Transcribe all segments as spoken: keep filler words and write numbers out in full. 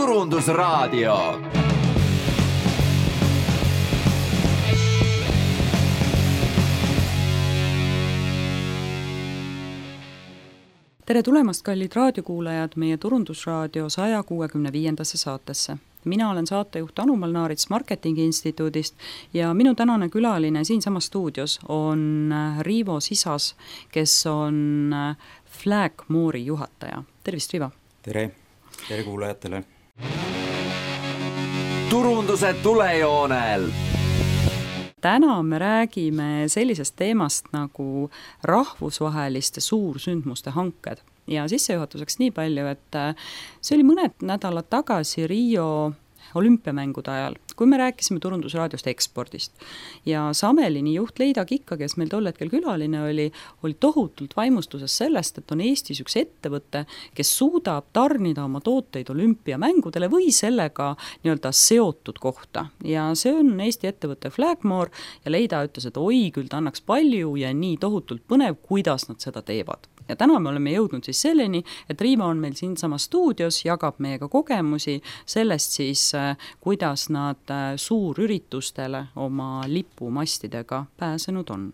Turundusraadio. Tere tulemast, kallid raadiokuulajad, meie Turundusraadio saja kuuekümne viiendasse saatesse. Mina olen saatejuht Anu Malnaarits Marketingi Instituudist ja minu tänane külaline siinsamas stuudios on Riivo Sisas, kes on Flagmore'i juhataja. Tervist, Riivo! Tere! Tere kuulajatele! Turunduse tulejoonel! Täna me räägime sellisest teemast nagu rahvusvaheliste suursündmuste hanked. Ja sissejuhatuseks nii palju, et see oli mõned nädalad tagasi Rio olümpiamängude ajal, kui me rääkisime Turundusraadiost ekspordist. Ja Samelini juht Leida Kikka, kes meil tol hetkel külaline oli, oli tohutult vaimustuses sellest, et on Eestis üks ettevõte, kes suudab tarnida oma tooteid olümpiamängudele või sellega nii-öelda seotud kohta. Ja see on Eesti ettevõte Flagmore ja Leida ütles, et oi, küll ta annaks palju ja nii tohutult põnev, kuidas nad seda teevad. Ja täna me oleme jõudnud siis selleni, et Riivo on meil siinsama stuudios, jagab meiega kogemusi sellest siis, kuidas nad suurüritustele oma lipumastidega pääsenud on.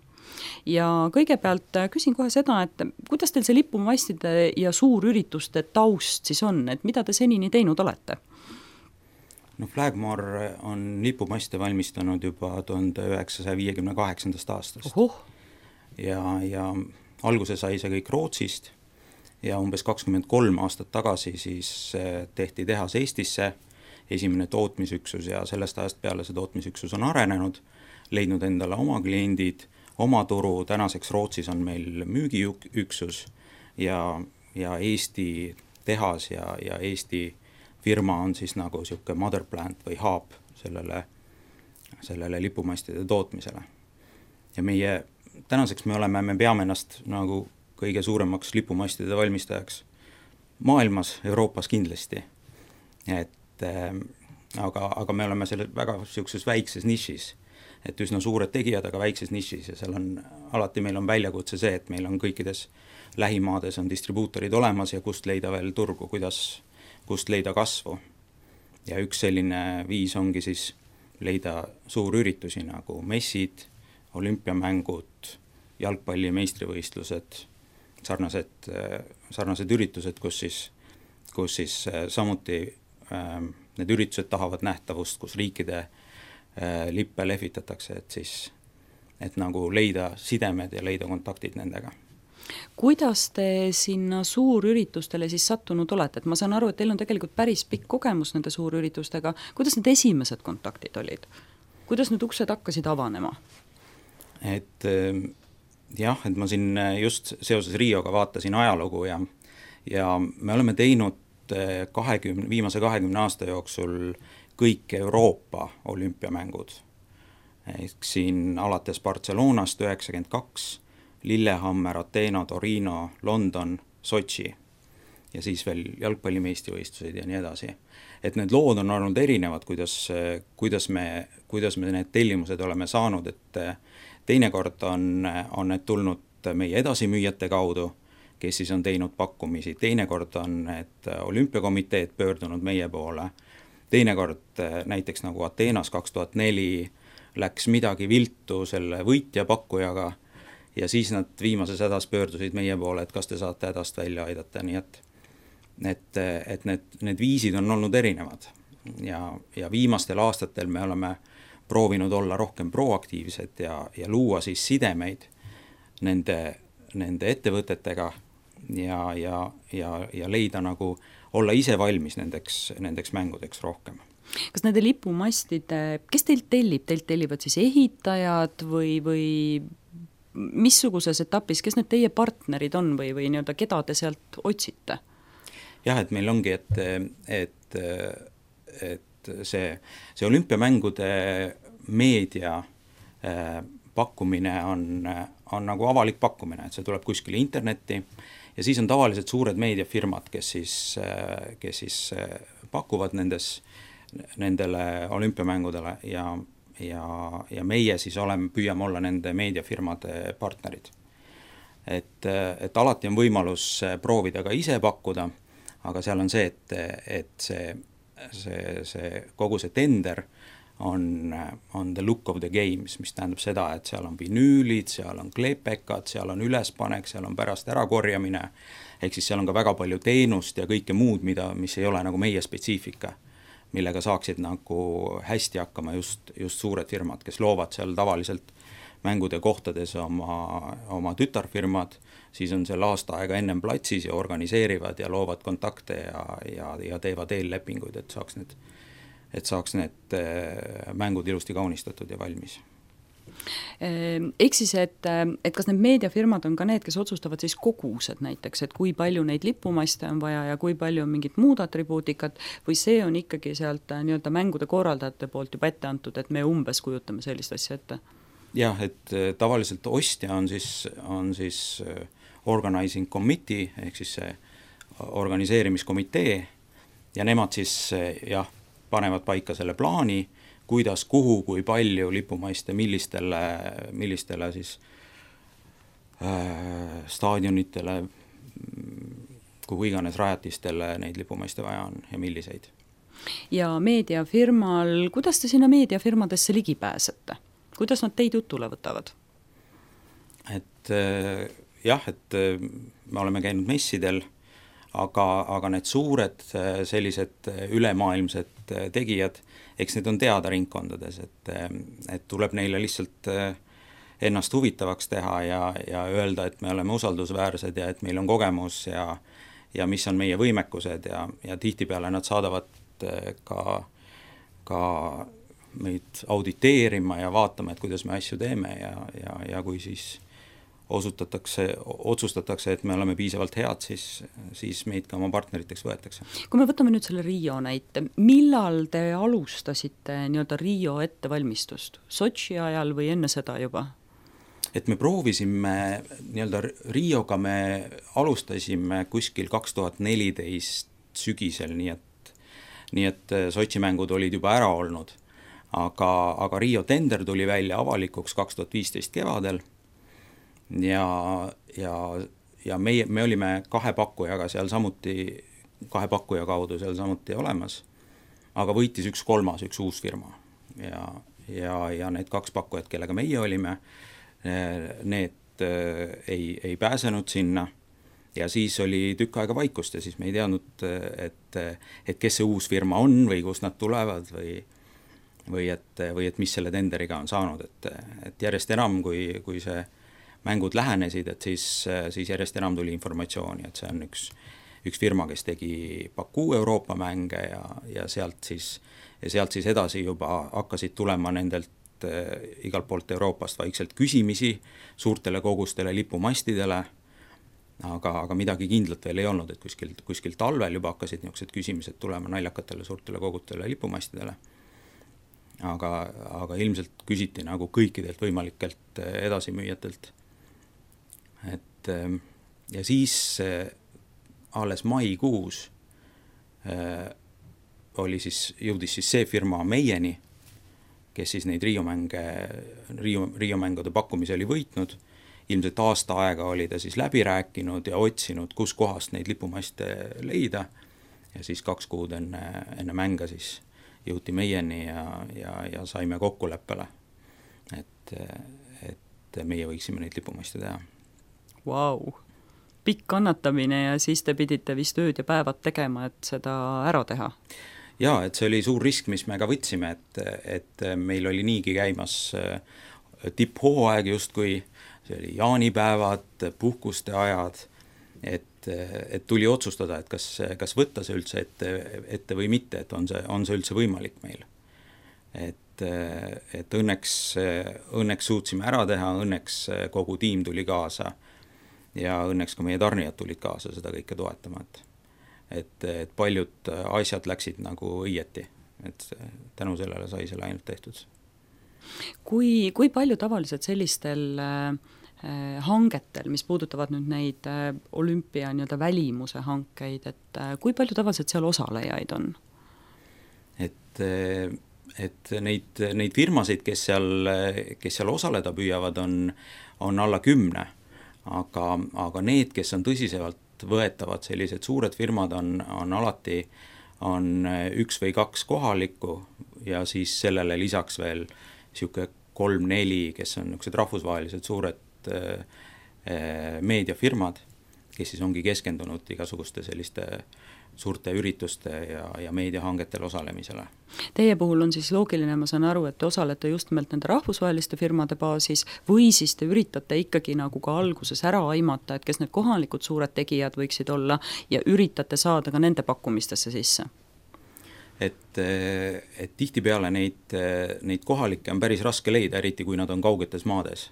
Ja kõigepealt küsin kohe seda, et kuidas teil see lipumastide ja suurürituste taust siis on, et mida te senini teinud olete? No Flagmore on lipumaste valmistanud juba tuhande üheksasaja viiekümne kaheksandast aastast. Ohuh. Ja, ja alguse sai see kõik Rootsist ja umbes kakskümmend kolm aastat tagasi siis tehti tehas Eestisse, esimene tootmisüksus ja sellest ajast peale see tootmisüksus on arenenud, leidnud endale oma kliendid, oma turu, tänaseks Rootsis on meil müügiüksus ja, ja Eesti tehas ja, ja Eesti firma on siis nagu siuke mother plant või hub sellele, sellele lipumastide tootmisele. Ja meie tänaseks me oleme, me peame ennast nagu kõige suuremaks lipumastide valmistajaks maailmas, Euroopas kindlasti. Et, äh, aga, aga me oleme selle väga siukses väikses nišis, et üsna suured tegijad, aga väikses nišis ja seal on, alati meil on väljakutse see, et meil on kõikides lähimaades on distribuutorid olemas ja kust leida veel turgu, kuidas, kust leida kasvu. Ja üks selline viis ongi siis leida suurüritusi nagu messid, olümpiamängud, jalgpalli meistrivõistlused, sarnased, sarnased üritused, kus siis, kus siis samuti äh, need üritused tahavad nähtavust, kus riikide äh, lippe lehvitatakse, et siis et nagu leida sidemed ja leida kontaktid nendega. Kuidas te sinna suurüritustele siis sattunud olete? Et ma saan aru, et teil on tegelikult päris pikk kogemus nende suurüritustega. Kuidas need esimesed kontaktid olid? Kuidas need uksed hakkasid avanema? Et jah, et ma siin just seoses Rioga vaatasin ajalugu ja, ja me oleme teinud kahekümne, viimase kahekümne aasta jooksul kõik Euroopa olümpiamängud. Ehk siin alates Barcelonast üheksakümmend kaks, Lillehammer, Ateena, Torino, London, Sotši ja siis veel jalgpallimeistrivõistlused ja nii edasi. Et need lood on olnud erinevad, kuidas, kuidas, me, kuidas me need tellimused oleme saanud, et teinekord on, on need tulnud meie edasimüüjate kaudu, kes siis on teinud pakkumisi. Teinekord on need olümpiakomiteed pöördunud meie poole. Teinekord näiteks nagu Ateenas kaks tuhat neli läks midagi viltu selle võitja pakkujaga ja siis nad viimases hädas pöördusid meie poole, et kas te saate hädast välja aidata. Nii et, et, et need, need viisid on olnud erinevad ja, ja viimastel aastatel me oleme proovinud olla rohkem proaktiivsed ja, ja luua siis sidemeid nende, nende ettevõtetega ja, ja, ja, ja leida nagu, olla ise valmis nendeks, nendeks mängudeks rohkem. Kas nende lipumastide, kes teilt tellib? Teilt tellivad siis ehitajad või, või missuguses etapis, kes need teie partnerid on või, või nii-öelda, keda te sealt otsite? Jah, et meil ongi, et, et, et see, see olümpiamängude meedia äh, pakkumine on, on nagu avalik pakkumine, et see tuleb kuskile internetti ja siis on tavaliselt suured meediafirmad, kes siis, äh, kes siis äh, pakuvad nendes, nendele olümpiamängudele ja, ja, ja meie siis oleme, püüame olla nende meediafirmade partnerid. Et, et alati on võimalus proovida ka ise pakkuda, aga seal on see, et, et see see, see kogu see tender on, on the look of the games, mis tähendab seda, et seal on vinüülid, seal on kleepekad, seal on ülespanek, seal on pärast ärakorjamine, ehk siis seal on ka väga palju teenust ja kõike muud, mida, mis ei ole nagu meie spetsiifika, millega saaksid nagu hästi hakkama just, just suured firmad, kes loovad seal tavaliselt mängude kohtades oma, oma tütarfirmad, siis on seal aasta aega ennem platsis ja organiseerivad ja loovad kontakte ja, ja, ja teevad eellepinguid, et saaks need et saaks need mängud ilusti kaunistatud ja valmis. Ehk siis, et, et kas need meediafirmad on ka need, kes otsustavad siis kogused näiteks, et kui palju neid lipumaste on vaja ja kui palju on mingit muud atribuutikat, või see on ikkagi sealt nii-öelda mängude korraldajate poolt juba ette antud, et me umbes kujutame sellist asja ette? Jah, et tavaliselt ostja on siis, on siis organizing committee, ehk siis see organiseerimiskomitee, ja nemad siis jah, panevad paika selle plaani, kuidas, kuhu, kui palju lipumaiste, millistele, millistele siis äh, staadionitele, kuhu iganes rajatistele neid lipumaiste vaja on ja milliseid. Ja meediafirmal, kuidas te sinna meediafirmadesse ligi pääsete? Kuidas nad teid jutule võtavad? Et äh, jah, et äh, me oleme käinud messidel, aga, aga need suured sellised ülemaailmsed tegijad, eks need on teada ringkondades, et, et tuleb neile lihtsalt ennast huvitavaks teha ja, ja öelda, et me oleme usaldusväärsed ja et meil on kogemus ja, ja mis on meie võimekused ja, ja tihtipeale nad saadavad ka, ka meid auditeerima ja vaatama, et kuidas me asju teeme ja, ja, ja kui siis osutatakse, otsustatakse, et me oleme piisavalt head, siis, siis meid ka oma partneriteks võetakse. Kui me võtame nüüd selle Rio näite, millal te alustasite nii-öelda Rio ettevalmistust? Sotši ajal või enne seda juba? Et me proovisime, nii-öelda Rioga me alustasime kuskil kaks tuhat neliteist sügisel, nii et, nii et Sotši mängud olid juba ära olnud, aga, aga Rio tender tuli välja avalikuks kaks tuhat viisteist kevadel, ja, ja, ja meie, me olime kahe pakkujaga seal samuti, kahe pakkuja kaudu seal samuti olemas, aga võitis üks kolmas, üks uus firma ja, ja, ja need kaks pakkujat, kellega meie olime, need ei, ei pääsenud sinna ja siis oli tükk aega vaikust ja siis me ei teadnud, et, et kes see uus firma on või kust nad tulevad või, või, et, või et mis selle tenderiga on saanud, et, et järjest enam, kui, kui see mängud lähenesid, et siis, siis järjest enam tuli informatsiooni, et see on üks, üks firma, kes tegi Baku Euroopa mänge ja, ja, sealt siis, ja sealt siis edasi juba hakkasid tulema nendelt äh, igalt poolt Euroopast vaikselt küsimisi suurtele kogustele lipumastidele, aga, aga midagi kindlat veel ei olnud, et kuskil, kuskil talvel juba hakkasid niisugused küsimised tulema naljakatele suurtele kogustele lipumastidele. Aga, aga ilmselt küsiti nagu kõikidelt võimalikelt edasimüüjatelt. Et, ja siis alles maikuus äh, oli siis, jõudis siis see firma meieni, kes siis neid Rio mänge, Rio, Rio mängude pakkumise oli võitnud. Ilmselt aasta aega oli ta siis läbi rääkinud ja otsinud, kus kohast neid lipumaste leida. Ja siis kaks kuud enne, enne mänga siis jõuti meieni ja, ja, ja saime kokkuleppele, et, et meie võiksime neid lipumaste teha. Vau, pikk kannatamine ja siis te pidite vist ööd ja päevad tegema, et seda ära teha. Jaa, et see oli suur risk, mis me ka võtsime, et, et meil oli niigi käimas tipphooaeg justkui, see oli jaanipäevad, puhkuste ajad, et, et tuli otsustada, et kas, kas võtta see üldse ette, ette või mitte, et on see, on see üldse võimalik meil. Et, et õnneks, õnneks suutsime ära teha, õnneks kogu tiim tuli kaasa ja õnneks ka meie tarnijad tulid kaasa seda kõike toetama, et, et, et paljud asjad läksid nagu õieti, et tänu sellele sai selle ainult tehtud. Kui, kui palju tavaliselt sellistel äh, hangetel, mis puudutavad nüüd neid äh, olümpia nii-öelda välimuse hankeid, et äh, kui palju tavaliselt seal osalejaid on? Et, et neid, neid firmasid, kes seal, kes seal osaleda püüavad, on, on alla kümne. Aga, aga need, kes on tõsiselt võetavad, sellised suured firmad on, on alati, on üks või kaks kohalikku ja siis sellele lisaks veel niisugune kolm-neli, kes on niisugused rahvusvahelised suured äh, meediafirmad, kes siis ongi keskendunud igasuguste selliste suurte ürituste ja, ja meediahangetel osalemisele. Teie puhul on siis loogiline, ma saan aru, et te osalete just nimelt nende rahvusvaheliste firmade baasis või siis te üritate ikkagi nagu ka alguses ära aimata, et kes need kohalikud suured tegijad võiksid olla ja üritate saada ka nende pakkumistesse sisse? Et, et tihtipeale neid, neid kohalikke on päris raske leida, eriti kui nad on kaugetes maades.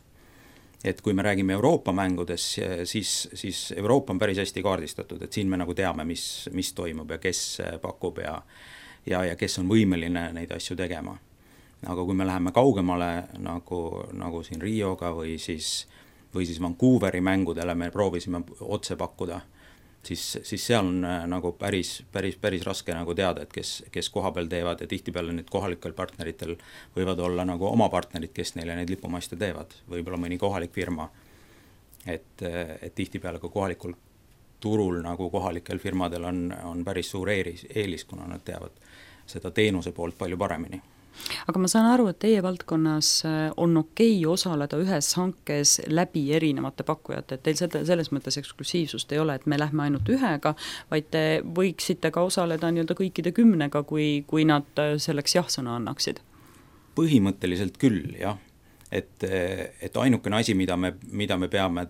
Et kui me räägime Euroopa mängudes, siis, siis Euroopa on päris hästi kaardistatud, et siin me nagu teame, mis, mis toimub ja kes pakub ja, ja, ja kes on võimeline neid asju tegema. Aga kui me läheme kaugemale nagu, nagu siin Rioga või siis, või siis Vancouveri mängudele me proovisime otse pakkuda, siis, siis seal on nagu päris, päris, päris raske nagu teada, et kes, kes koha peal teevad ja tihtipeale nüüd kohalikel partneritel võivad olla nagu oma partnerid, kes neile neid lipumaiste teevad, võib-olla mõni kohalik firma. Et, et tihtipeale ka kohalikul turul nagu kohalikel firmadel on, on päris suur eelis, eelis, kuna nad teavad seda teenuse poolt palju paremini. Aga ma saan aru, et teie valdkonnas on okei osaleda ühes hankes läbi erinevate pakkujate, et teil seda, selles mõttes eksklusiivsust ei ole, et me lähme ainult ühega, vaid te võiksite ka osaleda nii-öelda kõikide kümnega, kui, kui nad selleks jah-sõna annaksid? Põhimõtteliselt küll, jah. Et, et ainukene asi, mida me, mida me peame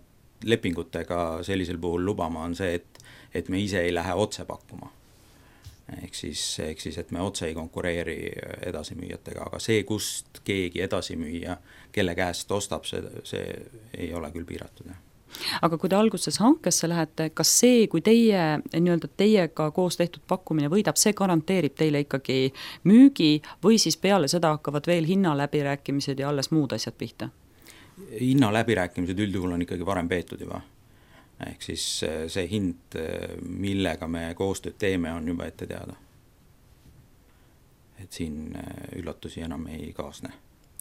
lepingutega sellisel puhul lubama, on see, et, et me ise ei lähe otse pakkuma. Ehk siis, ehk siis, et me otse ei konkureeri edasimüüjatega, aga see, kust keegi edasimüüja, kelle käest ostab, see, see ei ole küll piiratud. Aga kui te alguses hankesse lähete, kas see, kui teie, nii-öelda teiega koos tehtud pakkumine võidab, see garanteerib teile ikkagi müügi või siis peale seda hakkavad veel hinnaläbirääkimised ja alles muud asjad pihta? Hinnaläbirääkimised üldjuhul on ikkagi varem peetud juba. Ehk siis see hind, millega me koostööd teeme, on juba ette teada. Et siin üllatusi enam ei kaasne.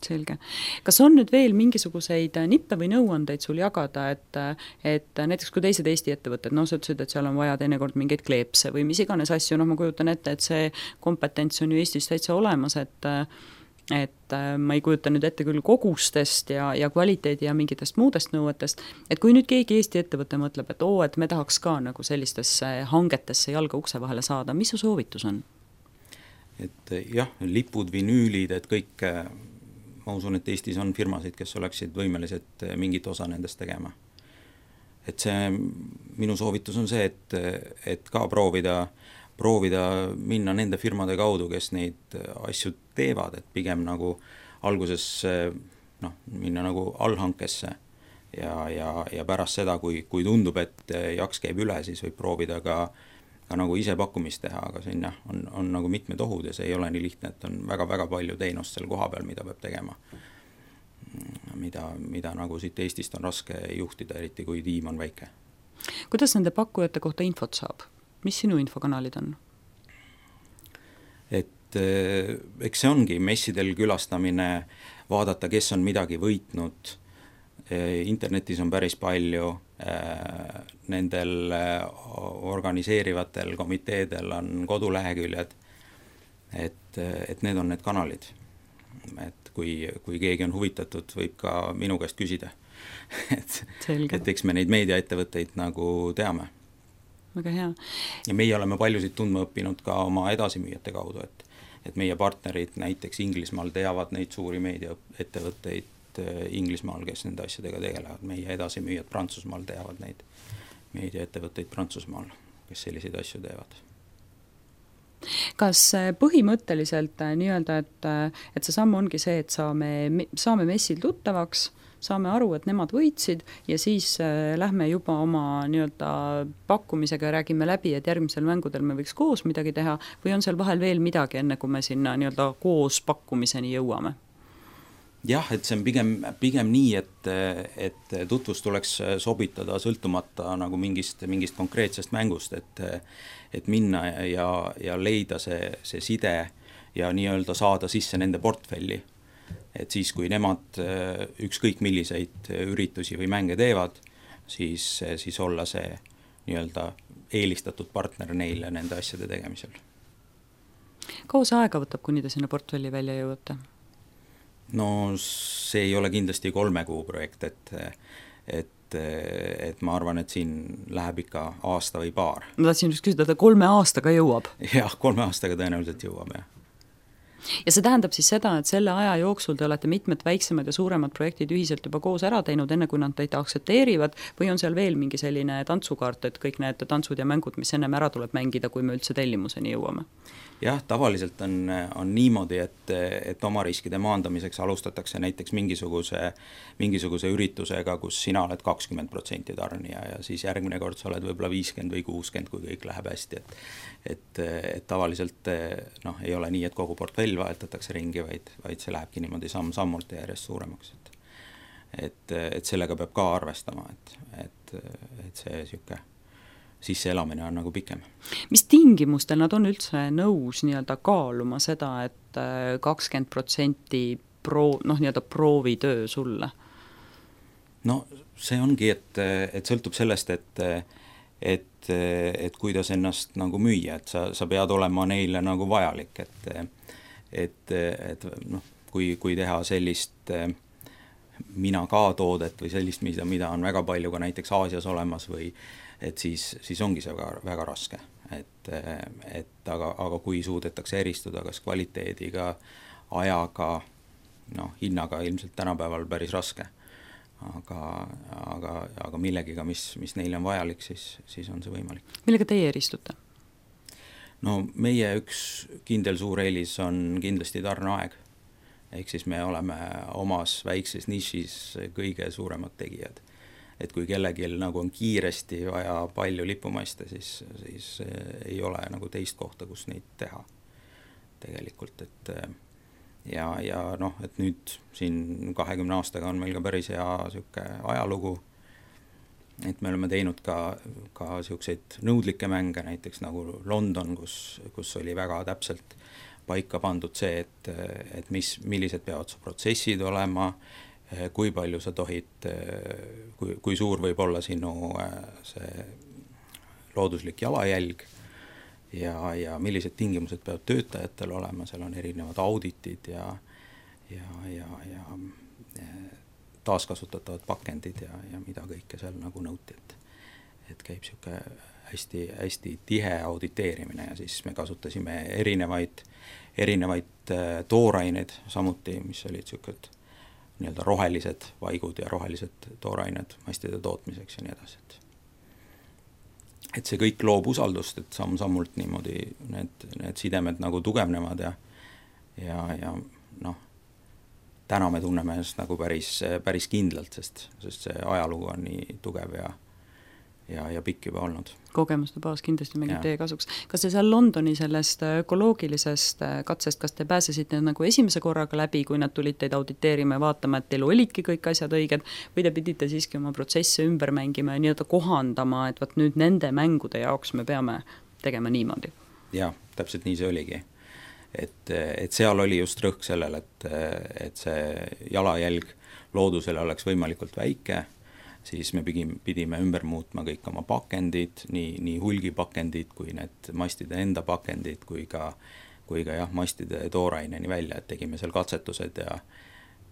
Selge. Kas on nüüd veel mingisuguseid nippe või nõuandeid sul jagada, et, et näiteks kui teised Eesti ettevõtted, no sa ütlesid, et seal on vaja teinekord mingeid kleepse või mis iganes asju, noh ma kujutan ette, et see kompetents on ju Eestis täitsa olemas, et et ma ei kujuta nüüd ette küll kogustest ja, ja kvaliteedi ja mingitest muudest nõuetest, et kui nüüd keegi Eesti ettevõte mõtleb, et oo, et me tahaks ka nagu sellistesse hangetesse jalga ukse vahele saada, mis su soovitus on? Et jah, lipud, vinüülid, et kõik, ma usun, et Eestis on firmasid, kes oleksid võimelised mingit osa nendest tegema. Et see, minu soovitus on see, et, et ka proovida proovida minna nende firmade kaudu, kes neid asju teevad, et pigem nagu alguses noh, minna nagu allhankesse ja, ja, ja pärast seda, kui, kui tundub, et jaks käib üle, siis võib proovida ka, ka nagu ise pakkumist teha, aga siin jah, on, on nagu mitmed ohud ja see ei ole nii lihtne, et on väga-väga palju teenust seal koha peal, mida peab tegema. Mida, mida nagu siit Eestist on raske juhtida, eriti kui tiim on väike. Kuidas nende pakkujate kohta infot saab? Mis sinu infokanalid on? Et eks see ongi messidel külastamine, vaadata, kes on midagi võitnud. Internetis on päris palju, nendel organiseerivatel komiteedel on koduleheküljed, et, et need on need kanalid. Et kui, kui keegi on huvitatud, võib ka minu käest küsida. et, et eks me neid meediaettevõtteid nagu teame. Väga hea. Ja meie oleme paljusid tundma õppinud ka oma edasimüüjate kaudu, et, et meie partnerid näiteks Inglismaal teavad neid suuri meediaettevõtteid Inglismaal, kes nende asjadega tegelevad. Meie edasimüüjad Prantsusmaal teavad neid meediaettevõtteid Prantsusmaal, kes selliseid asju teevad. Kas põhimõtteliselt nii-öelda, et, et see samm ongi see, et saame, saame messil tuttavaks, saame aru, et nemad võitsid ja siis äh, lähme juba oma nii-öelda pakkumisega ja räägime läbi, et järgmisel mängudel me võiks koos midagi teha või on seal vahel veel midagi, enne kui me sinna nii-öelda koos pakkumiseni jõuame? Jah, et see on pigem, pigem nii, et, et tutvus tuleks sobitada sõltumata nagu mingist, mingist konkreetsest mängust, et, et minna ja, ja leida see, see side ja nii-öelda saada sisse nende portfelli. Et siis, kui nemad ükskõik milliseid üritusi või mänge teevad, siis, siis olla see nii-öelda eelistatud partner neile nende asjade tegemisel. Kaua see aega võtab, kuni te sinna portfelli välja jõuate? No see ei ole kindlasti kolme kuu projekt, et et, et ma arvan, et siin läheb ikka aasta või paar. Ma tahtsin just küsida, et kolme aastaga jõuab? Jah, kolme aastaga tõenäoliselt jõuab, jah. Ja see tähendab siis seda, et selle aja jooksul te olete mitmed väiksemad ja suuremad projektid ühiselt juba koos ära teinud, enne kui nad teid aktsepteerivad, või on seal veel mingi selline tantsukaart, et kõik need tantsud ja mängud, mis ennem ära tuleb mängida, kui me üldse tellimuseni jõuame? Jah, tavaliselt on, on niimoodi, et, et oma riskide maandamiseks alustatakse näiteks mingisuguse, mingisuguse üritusega, kus sina oled kakskümmend protsenti tarnija ja siis järgmine kord sa oled võib-olla viiskümmend või kuuskümmend, kui kõik läheb hästi, et et, et tavaliselt noh, ei ole nii, et kogu portfell vahetatakse ringi, vaid, vaid see lähebki niimoodi samm-sammult ja järjest suuremaks, et et, et sellega peab ka arvestama, et, et, et see siuke sisseelamine on nagu pikem. Mis tingimustel nad on üldse nõus nii-öelda kaaluma seda, et kakskümmend protsenti pro, noh, nii-öelda proovitöö sulle? No see ongi, et, et sõltub sellest, et, et, et kuidas ennast nagu müüa, et sa, sa pead olema neile nagu vajalik, et, et, et noh, kui, kui teha sellist mina ka toodet või sellist, mida, mida on väga palju ka näiteks Aasias olemas või et siis, siis ongi see väga, väga raske, et, et aga, aga kui suudetakse eristuda kas kvaliteediga, ajaga, noh, hinnaga ilmselt tänapäeval päris raske, aga, aga, aga millegiga, mis, mis neile on vajalik, siis, siis on see võimalik. Millega teie eristute? No meie üks kindel suur eelis on kindlasti tarneaeg, ehk siis me oleme omas väikses nišis kõige suuremad tegijad. Et kui kellelgi nagu on kiiresti vaja palju lipumaiste, siis, siis ei ole nagu teist kohta, kus neid teha tegelikult, et ja, ja noh, et nüüd siin kahekümne aastaga on meil ka päris hea siuke ajalugu, et me oleme teinud ka, ka siukseid nõudlikke mänge, näiteks nagu London, kus, kus oli väga täpselt paika pandud see, et, et mis, millised peavad su protsessid olema, kui palju sa tohid, kui, kui suur võib olla sinu see looduslik jalajälg ja, ja millised tingimused peavad töötajatel olema, seal on erinevad auditid ja, ja, ja, ja taaskasutatavad pakendid ja, ja mida kõike seal nagu nõuti, et, et käib siuke hästi, hästi tihe auditeerimine ja siis me kasutasime erinevaid, erinevaid tooraineid samuti, mis olid siuked nii-öelda rohelised vaigud ja rohelised toorained mastide tootmiseks ja nii edasi. Et see kõik loob usaldust, et samm-sammult niimoodi need, need sidemed nagu tugevnevad ja, ja, ja noh, täna me tunneme ennast nagu päris, päris kindlalt, sest, sest see ajalugu on nii tugev ja ja, ja pikk juba olnud. Kogemuste baas kindlasti mängib teie kasuks. Kas te seal Londoni sellest ökoloogilisest katsest, kas te pääsesite nagu esimese korraga läbi, kui nad tulid teid auditeerima ja vaatama, et teil olidki kõik asjad õiged, või te pidite siiski oma protsesse ümber mängima ja nii-öelda kohandama, et vaat nüüd nende mängude jaoks me peame tegema niimoodi? Jah, täpselt nii see oligi. Et, et seal oli just rõhk sellel, et, et see jalajälg loodusele oleks võimalikult väike, siis me pidime, pidime ümber muutma kõik oma pakendid, nii, nii hulgipakendid kui need mastide enda pakendid, kui ka, kui ka jah, mastide tooraineni välja, et tegime seal katsetused ja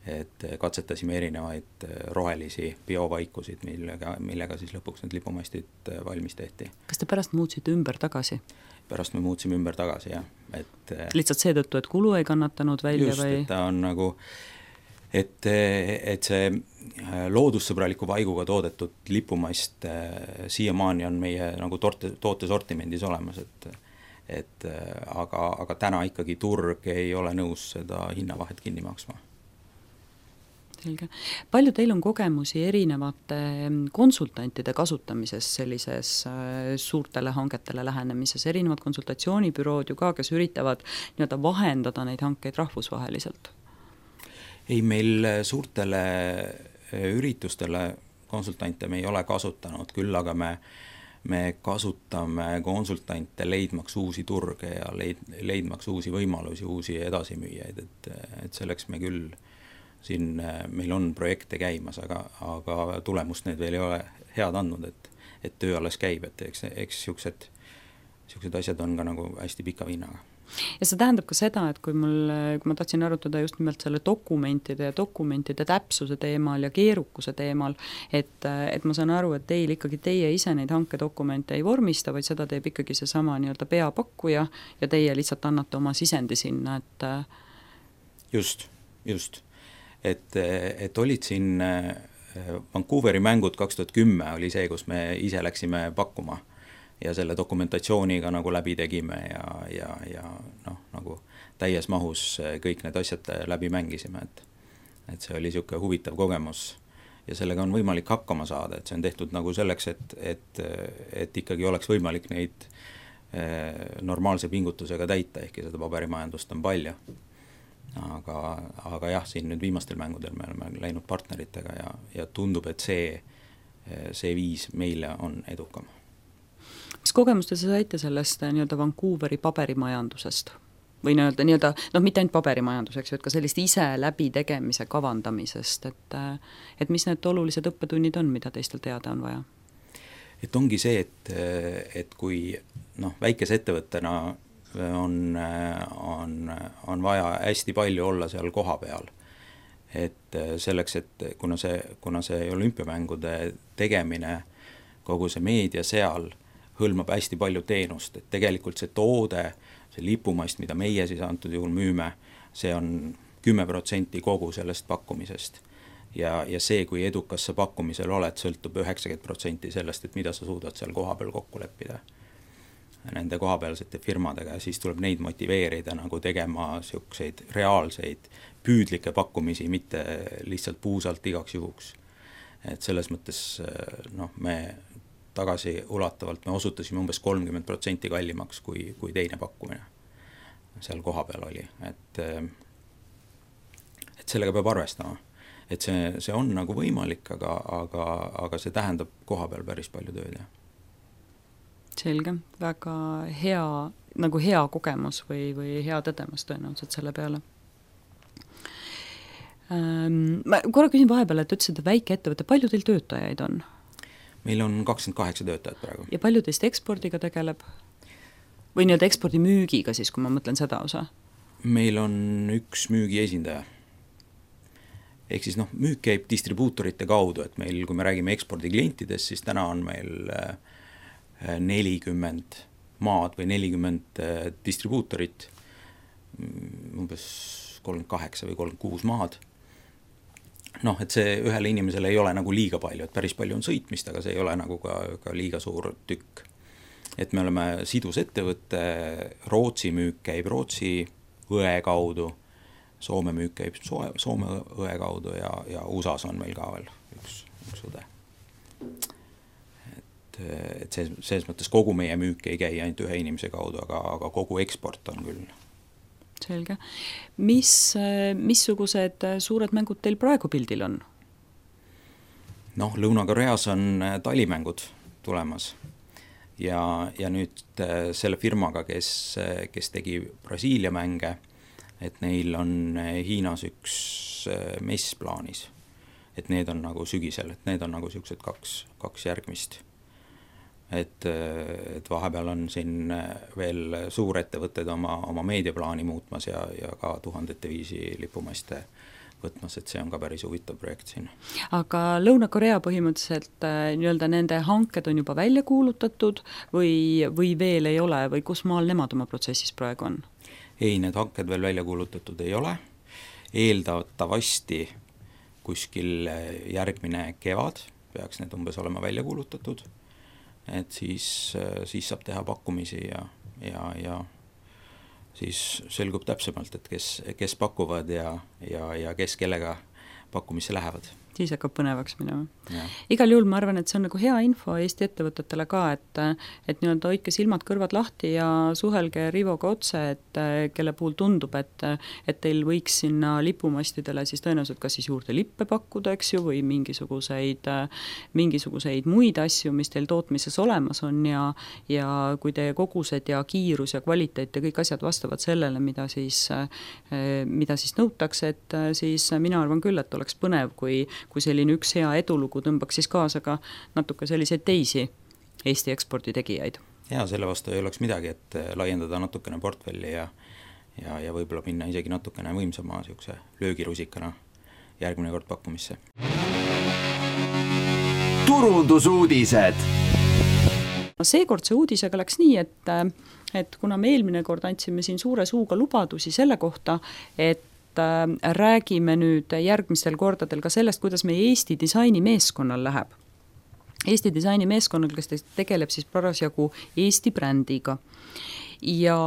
et katsetasime erinevaid rohelisi biovaikusid, millega, millega siis lõpuks need lipumastid valmis tehti. Kas te pärast muutsite ümber tagasi? Pärast me muutsime ümber tagasi, jah. Et, lihtsalt seetõttu, et kulu ei kannatanud välja just, või? Just, et ta on nagu et, et see loodussõbraliku vaiguga toodetud lipumast siiamaani on meie nagu toote, toote sortimendis olemas, et, et aga, aga täna ikkagi turg ei ole nõus seda hinnavahet kinni maksma. Selge. Palju teil on kogemusi erinevate konsultantide kasutamises sellises suurtele hangetele lähenemises, erinevad konsultatsioonibürood ju ka, kes üritavad nii-öelda vahendada neid hankeid rahvusvaheliselt? Ei, meil suurtele üritustele konsultante me ei ole kasutanud, küll aga me, me kasutame konsultante leidmaks uusi turge ja leid, leidmaks uusi võimalusi, uusi edasimüüjaid, et, et selleks me küll siin meil on projekte käimas, aga, aga tulemust need veel ei ole head andnud, et, et töö alles käib, et eks, eks siuksed niisugused asjad on ka nagu hästi pika vinnaga. Ja see tähendab ka seda, et kui mul, kui ma tahtsin arutada just nimelt selle dokumentide ja dokumentide täpsuse teemal ja keerukuse teemal, et, et ma saan aru, et teil ikkagi teie ise neid hankedokumente ei vormista, vaid seda teeb ikkagi see sama nii-öelda peapakkuja ja teie lihtsalt annate oma sisendi sinna, et just, just. Et, et olid siin Vancouveri mängud kaks tuhat kümme oli see, kus me ise läksime pakkuma ja selle dokumentatsiooniga nagu läbi tegime ja, ja, ja noh, nagu täies mahus kõik need asjad läbi mängisime, et, et see oli niisugune huvitav kogemus ja sellega on võimalik hakkama saada, et see on tehtud nagu selleks, et, et, et ikkagi oleks võimalik neid normaalse pingutusega täita, ehkki seda paberimajandust on palju. Aga, aga jah, siin nüüd viimastel mängudel me oleme läinud partneritega ja, ja tundub, et see, see viis meile on edukam. Mis kogemuste sa saite sellest nii-öelda Vancouveri paberimajandusest? Või nii-öelda, nii-öelda noh, mitte ainult paberimajanduseks, et ka sellist ise läbi tegemise kavandamisest, et, et mis need olulised õppetunnid on, mida teistel teada on vaja? Et ongi see, et, et kui noh, väikese ettevõttena on, on, on vaja hästi palju olla seal koha peal, et selleks, et kuna see, kuna see olümpiamängude tegemine, kogu see meedia seal hõlmab hästi palju teenust, et tegelikult see toode, see lipumast, mida meie siis antud juhul müüme, see on kümme protsenti kogu sellest pakkumisest. Ja, ja see, kui edukas sa pakkumisel oled, sõltub üheksakümmend protsenti sellest, et mida sa suudad seal koha peal kokku leppida nende kohapealsete firmadega ja siis tuleb neid motiveerida nagu tegema siukseid reaalseid püüdlikke pakkumisi, mitte lihtsalt puusalt igaks juhuks. Et selles mõttes noh, me tagasi ulatavalt me osutasime umbes kolmkümmend protsenti kallimaks kui, kui teine pakkumine seal koha peal oli, et, et sellega peab arvestama, et see, see on nagu võimalik, aga, aga, aga see tähendab koha peal päris palju tööd. Ja. Selge, väga hea, nagu hea kogemus või, või hea tõdemus tõenäoliselt selle peale. Ähm, ma korra küsin vahepeal, et ütlesid, et väike ettevõte, palju teil töötajaid on? Meil on kakskümmend kaheksa töötajat praegu. Ja palju teist ekspordiga tegeleb? Või nii-öelda ekspordi müügiga siis, kui ma mõtlen seda osa? Meil on üks müügi esindaja. Ehk siis noh, müük käib distribuutorite kaudu, et meil, kui me räägime ekspordiklientidest, siis täna on meil nelikümmend maad või nelikümmend distribuutorit, umbes kolmkümmend kaheksa või kolmkümmend kuus maad. Noh, et see ühele inimesele ei ole nagu liiga palju, et päris palju on sõitmist, aga see ei ole nagu ka, ka liiga suur tükk. Et me oleme sidus ettevõtte, Rootsi müük käib Rootsi õe kaudu, Soome müük käib Soome õe kaudu ja, ja U S A-s on meil ka veel üks, üks õde. Et, et see, selles mõttes kogu meie müük ei käi ainult ühe inimese kaudu, aga, aga kogu eksport on küll. Selge. Mis, missugused suured mängud teil praegu pildil on? Noh, Lõuna-Koreas on talimängud tulemas ja, ja nüüd selle firmaga, kes, kes tegi Brasiilia mänge, et neil on Hiinas üks mess plaanis, et need on nagu sügisel, et need on nagu siuksed kaks, kaks järgmist. Et, et vahepeal on siin veel suurettevõtted oma, oma meediaplaani muutmas ja, ja ka tuhandete viisi lipumaste võtmas, et see on ka päris huvitav projekt siin. Aga Lõuna-Korea põhimõtteliselt nii-öelda nende hanked on juba välja kuulutatud või, või veel ei ole või kus maal nemad oma protsessis praegu on? Ei, need hanked veel välja kuulutatud ei ole. Eeldatavasti kuskil järgmine kevad peaks need umbes olema välja kuulutatud. Et siis, siis saab teha pakkumisi ja, ja, ja siis selgub täpsemalt, et kes, kes pakuvad ja, ja, ja kes kellega pakkumisse lähevad. Siis hakkab põnevaks minema. Ja. Igal juhul ma arvan, et see on nagu hea info Eesti ettevõtetele ka, et, et nii-öelda hoidke silmad kõrvad lahti ja suhelge Rivoga otse, et kelle puhul tundub, et, et teil võiks sinna lipumastidele siis tõenäoliselt kas siis juurde lippe pakkuda, eks ju, või mingisuguseid, mingisuguseid muid asju, mis teil tootmises olemas on ja, ja kui teie kogused ja kiirus ja kvaliteet ja kõik asjad vastavad sellele, mida siis, mida siis nõutakse, et siis mina arvan küll, et oleks põnev, kui kui selline üks hea edulugu tõmbaks siis kaasa ka natuke selliseid teisi Eesti ekspordi tegijaid. ja selle vastu ei oleks midagi, et laiendada natukene portfelli ja ja, ja võib-olla minna isegi natukene võimsama niisuguse löögirusikana järgmine kord pakkumisse. Turundusuudised. Seekordse uudisega läks nii, et, et kuna me eelmine kord andsime siin suure suuga lubadusi selle kohta, et räägime nüüd järgmistel kordadel ka sellest, kuidas meie Eesti disainimeeskonnal läheb. Eesti disainimeeskonnal, kes tegeleb siis parasjagu Eesti brändiga. Ja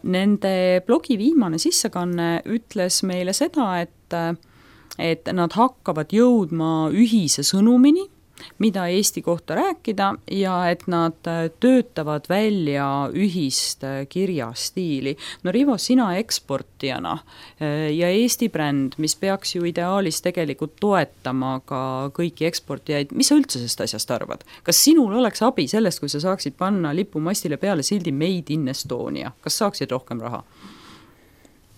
nende blogi viimane sissekanne ütles meile seda, et, et nad hakkavad jõudma ühise sõnumini, mida Eesti kohta rääkida ja et nad töötavad välja ühist kirjastiili. No Rivo, sina eksportijana ja Eesti bränd, mis peaks ju ideaalis tegelikult toetama ka kõiki eksportijaid, mis sa üldse sellest asjast arvad? Kas sinul oleks abi sellest, kui sa saaksid panna lipumastile peale sildi Made in Estonia? Kas saaksid rohkem raha?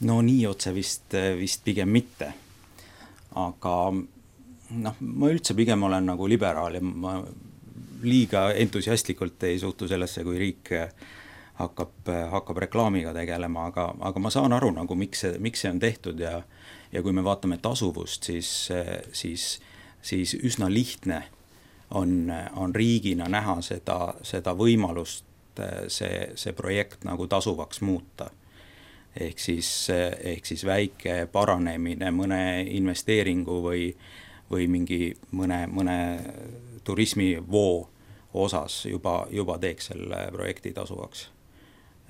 No nii otse vist, vist pigem mitte. Aga noh, ma üldse pigem olen nagu liberaal ja ma liiga entusiastlikult ei suhtu sellesse, kui riik hakkab, hakkab reklaamiga tegelema, aga, aga ma saan aru, nagu, miks, see, miks see on tehtud ja, ja kui me vaatame tasuvust, siis, siis, siis üsna lihtne on, on riigina näha seda, seda võimalust see, see projekt nagu tasuvaks muuta. Ehk siis, ehk siis väike paranemine mõne investeeringu või või mingi mõne, mõne turismivoo osas juba, juba teeks selle projekti tasuvaks.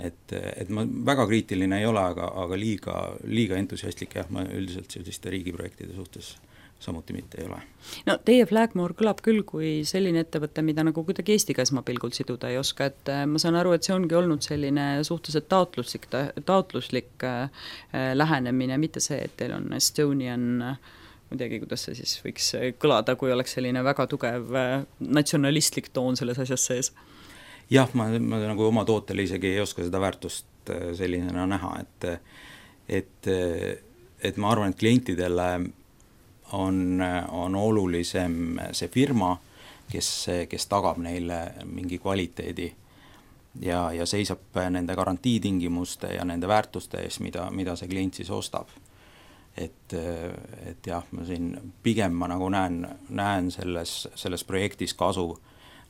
Et, et ma väga kriitiline ei ole, aga, aga liiga, liiga entusiastlik jah, ma üldiselt selliste riigiprojektide suhtes samuti mitte ei ole. No teie Flagmore kõlab küll kui selline ettevõte, mida nagu kuidagi Eestiga esmapilgult siduda ei oska, et ma saan aru, et see ongi olnud selline suhteliselt taotluslik, taotluslik lähenemine, mitte see, et teil on Estonian midagi, kuidas see siis võiks kõlada, kui oleks selline väga tugev natsionalistlik toon selles asjas sees? Jah, ma, ma nagu oma tootele isegi ei oska seda väärtust sellisena näha, et, et, et ma arvan, et klientidele on, on olulisem see firma, kes, kes tagab neile mingi kvaliteedi ja, ja seisab nende garantiitingimuste ja nende väärtuste ees, mida, mida see klient siis ostab. Et, et jah, ma siin pigem ma nagu näen, näen selles, selles projektis kasu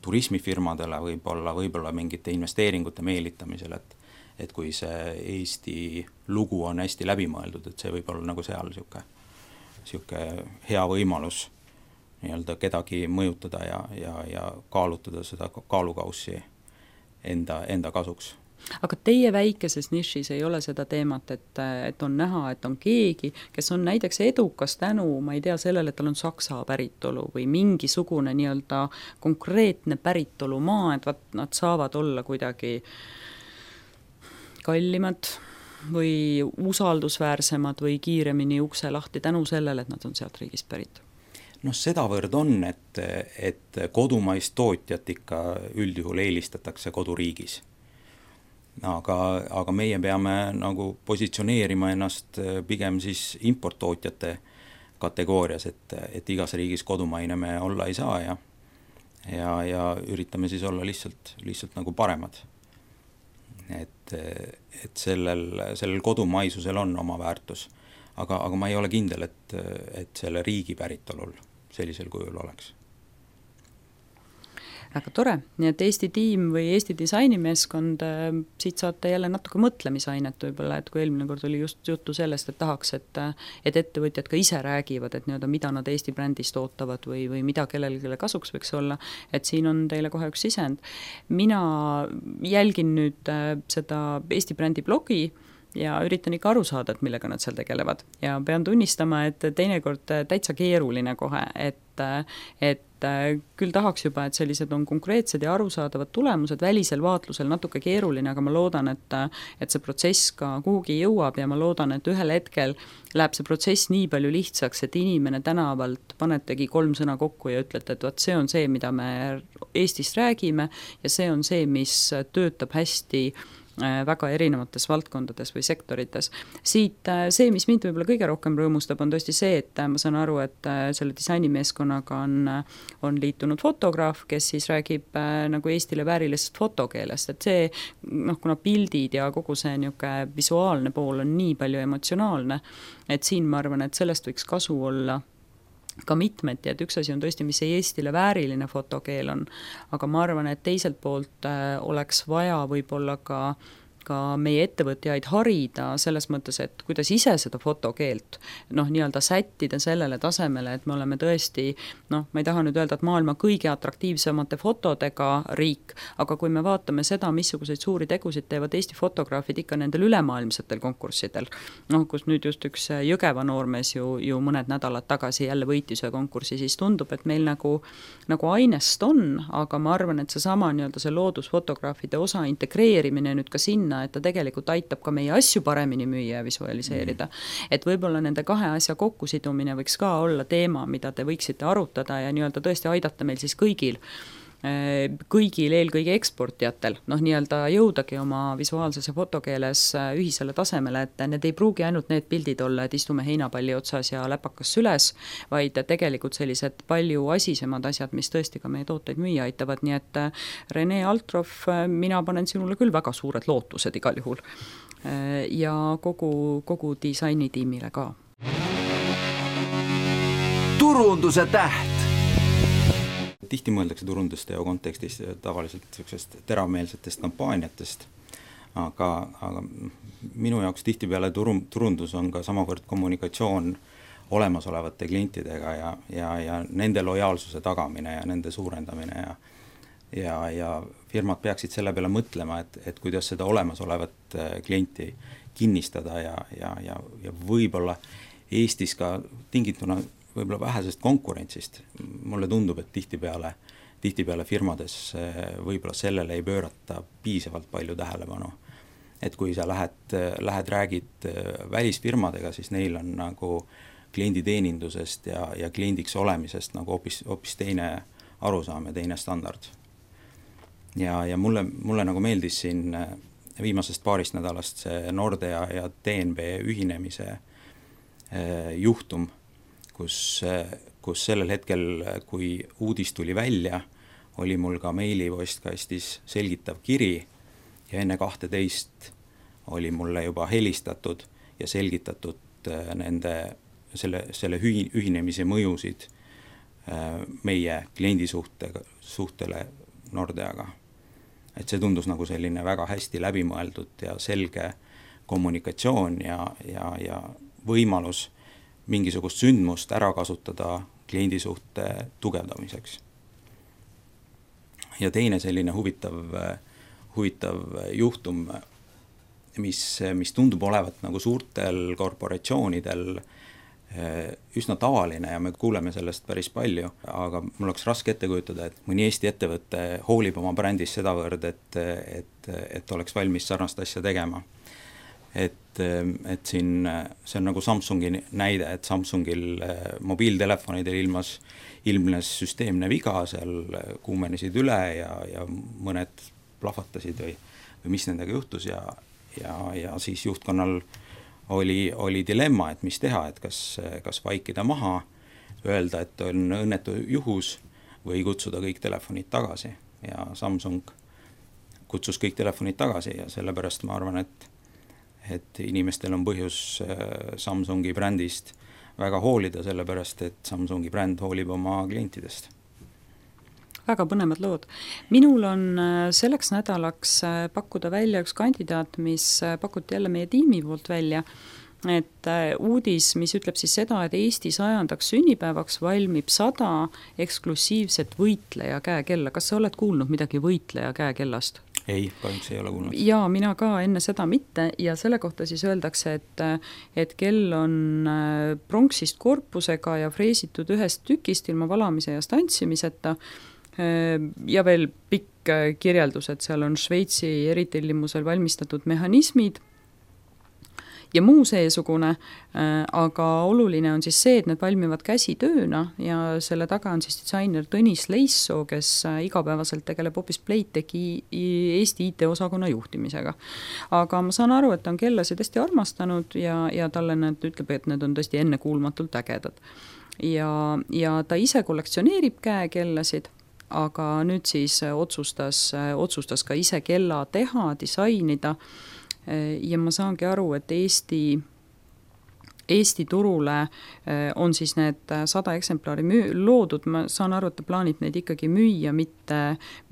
turismifirmadele võib-olla, võib-olla mingite investeeringute meelitamisel, et, et kui see Eesti lugu on hästi läbimõeldud, et see võib olla nagu seal siuke, siuke hea võimalus nii-öelda kedagi mõjutada ja, ja, ja kaalutada seda kaalukaussi enda, enda kasuks. Aga teie väikeses nišis ei ole seda teemat, et, et on näha, et on keegi, kes on näiteks edukas tänu, ma ei tea, sellele, et tal on saksa päritolu või mingisugune nii-öelda konkreetne päritolumaa, et vaat, nad saavad olla kuidagi kallimad või usaldusväärsemad või kiiremini ukse lahti tänu sellele, et nad on sealt riigist pärit. No sedavõrd on, et, et kodumaist tootjat ikka üldjuhul eelistatakse koduriigis. Aga, aga meie peame nagu positsioneerima ennast pigem siis importtootjate kategoorias, et, et igas riigis kodumaine me olla ei saa ja, ja, ja üritame siis olla lihtsalt, lihtsalt nagu paremad. Et, et sellel, sellel kodumaisusel on oma väärtus, aga, aga ma ei ole kindel, et, et selle riigi päritolul sellisel kujul oleks. Väga tore, nii et Eesti tiim või Eesti disainimeeskond, siit saate jälle natuke mõtlemisainet võib-olla, et kui eelmine kord oli just juttu sellest, et tahaks, et, et ettevõtjad ka ise räägivad, et nii-öelda mida nad Eesti brändist ootavad või, või mida kellelegi kasuks võiks olla, et siin on teile kohe üks sisend. Mina jälgin nüüd seda Eesti brändi blogi ja üritan ikka aru saada, et millega nad seal tegelevad. Ja pean tunnistama, et teinekord täitsa keeruline kohe, et, et küll tahaks juba, et sellised on konkreetsed ja arusaadavad tulemused, välisel vaatlusel natuke keeruline, aga ma loodan, et, et see protsess ka kuhugi jõuab ja ma loodan, et ühel hetkel läheb see protsess nii palju lihtsaks, et inimene tänavalt panetegi kolm sõna kokku ja ütlete, et vaat see on see, mida me Eestist räägime ja see on see, mis töötab hästi väga erinevates valdkondades või sektorites. Siit see, mis mind võib-olla kõige rohkem rõõmustab, on tõesti see, et ma saan aru, et selle disainimeeskonnaga on, on liitunud fotograaf, kes siis räägib nagu Eestile väärilisest fotokeelest, et see, noh, kuna pildid ja kogu see niisugune visuaalne pool on nii palju emotsionaalne, et siin ma arvan, et sellest võiks kasu olla ka mitmeti, et üks asi on tõesti, mis see Eestile vääriline fotokeel on, aga ma arvan, et teiselt poolt oleks vaja võib-olla ka ka meie ettevõtjaid harida selles mõttes, et kuidas ise seda fotokeelt noh, nii-öelda sättida sellele tasemele, et me oleme tõesti, noh, ma ei taha nüüd öelda, et maailma kõige atraktiivsemate fotodega riik, aga kui me vaatame seda, missuguseid suuri tegusid teevad Eesti fotograafid ikka nendel ülemaailmsetel konkurssidel, noh, kus nüüd just üks Jõgeva noormees ju, ju mõned nädalad tagasi jälle võitis ühe konkursi, siis tundub, et meil nagu, nagu ainest on, aga ma arvan, et see sama nii-öelda see loodusfotograafide osa integreerimine nüüd ka sinna, et ta tegelikult aitab ka meie asju paremini müüa ja visualiseerida. Mm. Et võib-olla nende kahe asja kokkusidumine võiks ka olla teema, mida te võiksite arutada ja nii-öelda tõesti aidata meil siis kõigil, kõigil eelkõige eksportijatel, noh nii-öelda jõudagi oma visuaalses ja fotokeeles ühisele tasemele, et need ei pruugi ainult need pildid olla, et istume heinapalli otsas ja läpakas süles, vaid tegelikult sellised palju asisemad asjad, mis tõesti ka meie tooteid müüa aitavad, nii et Rene Altrov, mina panen sinule küll väga suured lootused igal juhul ja kogu, kogu disainitiimile ka. Turunduse täht. Tihti mõeldakse turundusteo kontekstis tavaliselt sellisest teravmeelsetest kampaaniatest, aga, aga minu jaoks tihtipeale turun, turundus on ka samavõrd kommunikatsioon olemasolevate klientidega ja, ja, ja nende lojaalsuse tagamine ja nende suurendamine ja, ja, ja firmad peaksid selle peale mõtlema, et, et kuidas seda olemasolevat klienti kinnistada ja, ja, ja, ja võib-olla Eestis ka tingituna võib-olla vähesest konkurentsist. Mulle tundub, et tihtipeale, tihtipeale firmades võib-olla sellele ei pöörata piisavalt palju tähelepanu. Et kui sa lähed, lähed räägid välisfirmadega, siis neil on nagu klienditeenindusest ja, ja kliendiks olemisest nagu hoopis, hoopis teine arusaam ja teine standard. Ja, ja mulle, mulle nagu meeldis siin viimasest paarist nädalast see Nordea ja T N B ühinemise juhtum, kus, kus sellel hetkel, kui uudis tuli välja, oli mul ka meilipostkastis selgitav kiri ja enne kahteteist oli mulle juba helistatud ja selgitatud nende, selle, selle ühinemise mõjusid meie kliendisuhte, suhtele Nordeaga. Et see tundus nagu selline väga hästi läbimõeldud ja selge kommunikatsioon ja, ja, ja võimalus mingisugust sündmust ära kasutada kliendisuhte tugevdamiseks. Ja teine selline huvitav, huvitav juhtum, mis, mis tundub olevat nagu suurtel korporatsioonidel üsna tavaline ja me kuuleme sellest päris palju, aga mul oleks raske ette kujutada, et mõni Eesti ettevõte hoolib oma brändis sedavõrd, et, et, et oleks valmis sarnast asja tegema. Et, et siin see on nagu Samsungi näide, et Samsungil mobiiltelefonidel ilmas, ilmnes süsteemne viga, seal kuumenesid üle ja, ja mõned plahvatasid või, või mis nendega juhtus ja, ja, ja siis juhtkonnal oli, oli dilemma, et mis teha, et kas, kas vaikida maha, öelda, et on õnnetu juhus või kutsuda kõik telefonid tagasi ja Samsung kutsus kõik telefonid tagasi ja sellepärast ma arvan, et et inimestel on põhjus Samsungi brändist väga hoolida, sellepärast, et Samsungi bränd hoolib oma klientidest. Väga põnevad lood. Minul on selleks nädalaks pakkuda välja üks kandidaat, mis pakuti jälle meie tiimi poolt välja, et uudis, mis ütleb siis seda, et Eesti sajandaks sünnipäevaks valmib sada eksklusiivset võitleja käekella. Kas sa oled kuulnud midagi võitleja käekellast? Ei, kahjuks ei ole kuulnud. Jaa, mina ka enne seda mitte ja selle kohta siis öeldakse, et, et kell on pronksist korpusega ja freesitud ühest tükist ilma valamise ja stantsimiseta ja veel pikk kirjeldus, et seal on Šveitsi eritellimusel valmistatud mehhanismid ja muu seesugune, aga oluline on siis see, et need valmivad käsitööna ja selle taga on siis disainer Tõnis Leissoo, kes igapäevaselt tegeleb hoopis Playtechi Eesti I T-osakonna juhtimisega. Aga ma saan aru, et ta on kellasid hästi armastanud ja, ja talle need ütleb, et need on tõesti ennekuulmatult ägedad. Ja, ja ta ise kollektsioneerib käekellasid, aga nüüd siis otsustas, otsustas ka ise kella teha, disainida ja ma saangi aru, et Eesti, Eesti turule on siis need sada eksemplari müü- loodud, ma saan aru, et ta plaanib neid ikkagi müüa, mitte,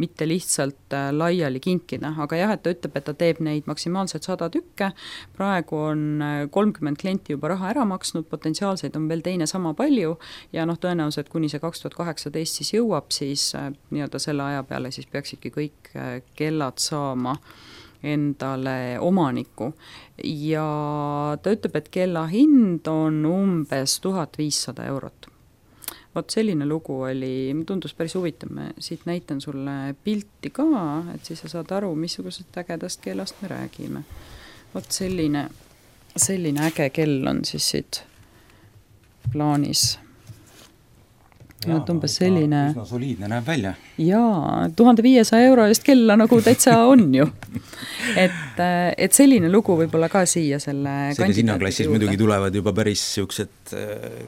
mitte lihtsalt laiali kinkida, aga jah, et ta ütleb, et ta teeb neid maksimaalselt sada tükke, praegu on kolmkümmend klienti juba raha ära maksnud, potentsiaalseid on veel teine sama palju ja noh, tõenäoliselt kuni see kaks tuhat kaheksateist siis jõuab, siis nii-öelda selle aja peale siis peaksidki kõik kellad saama endale omaniku ja ta ütleb, et kella hind on umbes tuhat viissada eurot. Vot selline lugu oli, tundus päris huvitav, ma siit näitan sulle pilti ka, et siis sa saad aru, missugusest ägedast kellast me räägime. Vot selline, selline äge kell on siis siit plaanis. Ja, umbes selline... Üsna soliidne näeb välja. Jaa, tuhande viiesaja euro eest kella nagu täitsa on ju. Et, et selline lugu võib-olla ka siia selle selles hinnaklassis muidugi tulevad juba päris siuksed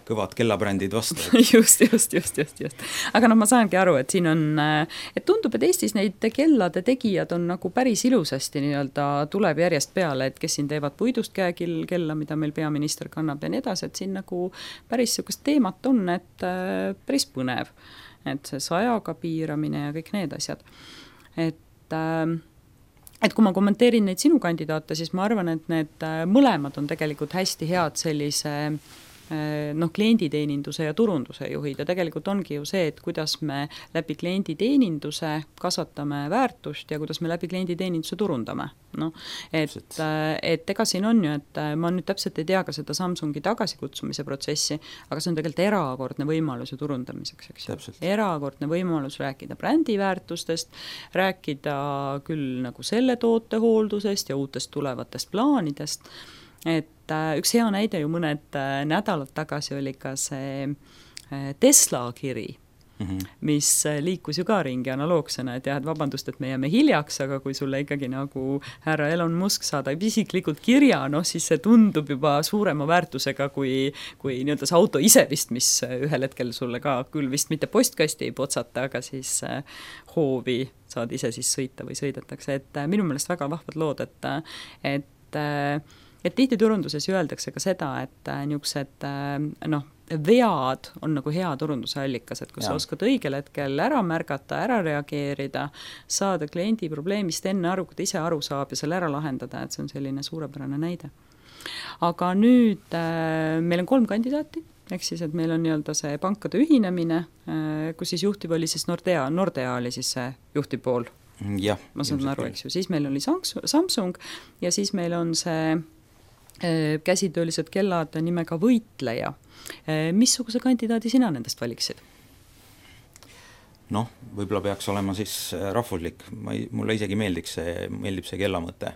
kõvad kellabrändid vastu. just, just, just, just, just. Aga noh, ma saangi aru, et siin on, et tundub, et Eestis neid kellade tegijad on nagu päris ilusasti nii-öelda tuleb järjest peale, et kes siin teevad puidust käekil kella, mida meil peaminister kannab ja nii edasi, et siin nagu päris siukest teemat on, et päris põnev, et see sajaga piiramine ja kõik need asjad. Et, et kui ma kommenteerin neid sinu kandidaate, siis ma arvan, et need mõlemad on tegelikult hästi head sellise noh, klienditeeninduse ja turunduse juhid ja tegelikult ongi ju see, et kuidas me läbi klienditeeninduse kasvatame väärtust ja kuidas me läbi klienditeeninduse turundame. No, et, et ega siin on ju, et ma nüüd täpselt ei tea ka seda Samsungi tagasikutsumise protsessi, aga see on tegelikult erakordne võimalus ju turundamiseks, eks ju. Erakordne võimalus rääkida brändiväärtustest, rääkida küll nagu selle tootehooldusest ja uutest tulevatest plaanidest, et üks hea näide ju mõned nädalad tagasi oli ka see Tesla kiri, mm-hmm. mis liikus ju ka ringi analoogsena, et jah, et vabandust, et me jääme hiljaks, aga kui sulle ikkagi nagu härra Elon Musk saadab isiklikult kirja, noh siis see tundub juba suurema väärtusega kui, kui nii-öelda see auto ise vist, mis ühel hetkel sulle ka küll vist mitte postkasti ei potsata, aga siis hoovi saad ise siis sõita või sõidetakse, et minu meelest väga vahvad lood, et, et et tihti turunduses öeldakse ka seda, et niisugused noh, vead on nagu hea turunduse allikas, et kui ja. Sa oskad õigel hetkel ära märgata, ära reageerida, saada kliendi probleemist enne aru, kui ta ise aru saab ja selle ära lahendada, et see on selline suurepärane näide. Aga nüüd äh, meil on kolm kandidaati, ehk siis, et meil on nii-öelda see pankade ühinemine, äh, kus siis juhtiv oli siis Nordea, Nordea oli siis see juhtiv pool. Ja, ma saan aru, eks ju, siis meil oli Samsung ja siis meil on see käsitöölised kellad nimega Võitleja. Missuguse kandidaadi sina nendest valiksid? Noh, võib-olla peaks olema siis rahvuslik. Ma ei, mulle isegi meeldiks see, meeldib see kellamõte.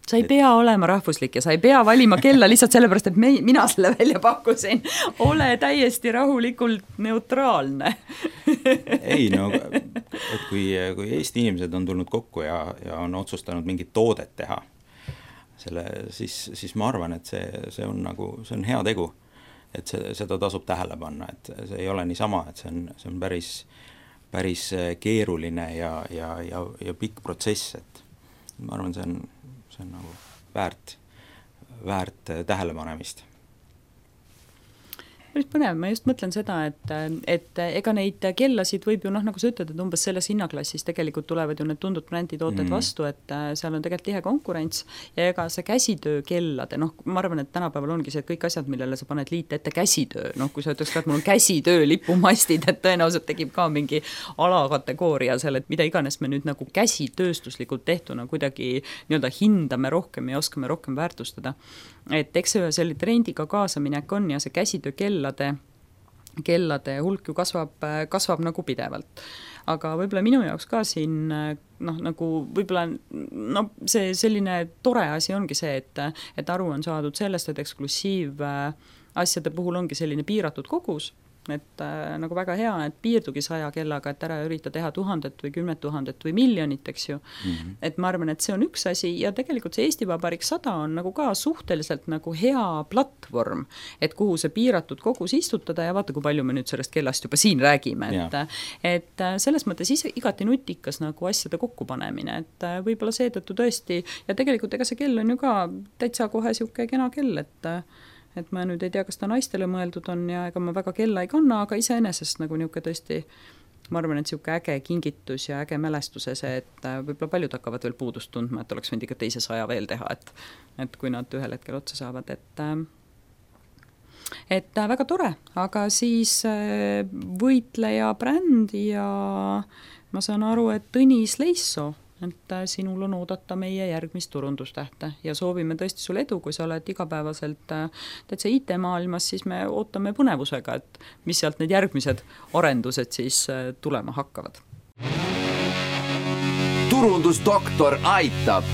Sa ei et... pea olema rahvuslik ja sa ei pea valima kella lihtsalt sellepärast, et me, mina selle välja pakkusin. Ole täiesti rahulikult neutraalne. ei, no, et kui, kui Eesti inimesed on tulnud kokku ja, ja on otsustanud mingit toodet teha, selle, siis, siis ma arvan, et see, see on nagu, see on hea tegu, et see, seda tasub tähele panna, et see ei ole nii sama, et see on, see on päris, päris keeruline ja, ja, ja, ja pikk protsess, et ma arvan, see on, see on nagu väärt, väärt tähelepanemist. Päris põnev, ma just mõtlen seda, et, et ega neid kellasid võib ju, noh, nagu sa ütled, et umbes selles hinnaklassis tegelikult tulevad ju need tundud bränditooted mm. vastu, et seal on tegelikult tihe konkurents ja ega see käsitöö kellade, noh, ma arvan, et tänapäeval ongi see, et kõik asjad, millele sa paned liite ette käsitöö, noh, kui sa ütleks ka, et mul on käsitöö lipumastid, et tõenäoliselt tekib ka mingi alakategooria seal, et mida iganes me nüüd nagu käsitööstuslikult tehtuna kuidagi nii-öelda hindame rohkem ja oskame rohkem väärtustada. Et eks see selle trendiga kaasaminek on ja see käsitöö kellade kellade hulk ju kasvab, kasvab nagu pidevalt. Aga võib-olla minu jaoks ka siin noh, nagu võib-olla no, see selline tore asi ongi see, et, et aru on saadud sellest, et eksklusiiv asjade puhul ongi selline piiratud kogus, et äh, nagu väga hea, et piirdugi saja kellaga, et ära ürita teha tuhandet või kümmet tuhandet või miljonit, eks ju. Mm-hmm. Et ma arvan, et see on üks asi ja tegelikult see Eesti Vabariik sada on nagu ka suhteliselt nagu hea platvorm, et kuhu see piiratud kogus istutada ja vaata, kui palju me nüüd sellest kellast juba siin räägime, et, et selles mõttes ise igati nutikas nagu asjade kokkupanemine, et võib-olla seetõttu tõesti ja tegelikult ega see kell on ju ka täitsa kohe siuke kena kell, et et ma nüüd ei tea, kas ta naistele mõeldud on ja ega ma väga kella ei kanna, aga iseenesest nagu niuke tõesti, ma arvan, et siuke äge kingitus ja äge mälestuse see, et võib-olla paljud hakkavad veel puudust tundma, et oleks võinud ikka teise saja veel teha, et, et kui nad ühel hetkel otsa saavad, et et väga tore, aga siis võitleja bränd ja ma saan aru, et Tõnis Leissoo, et sinul on oodata meie järgmist turundustähte ja soovime tõesti sul edu, kui sa oled igapäevaselt täitsa I T-maailmas, siis me ootame põnevusega, et mis sealt need järgmised arendused siis tulema hakkavad. Turundusdoktor aitab!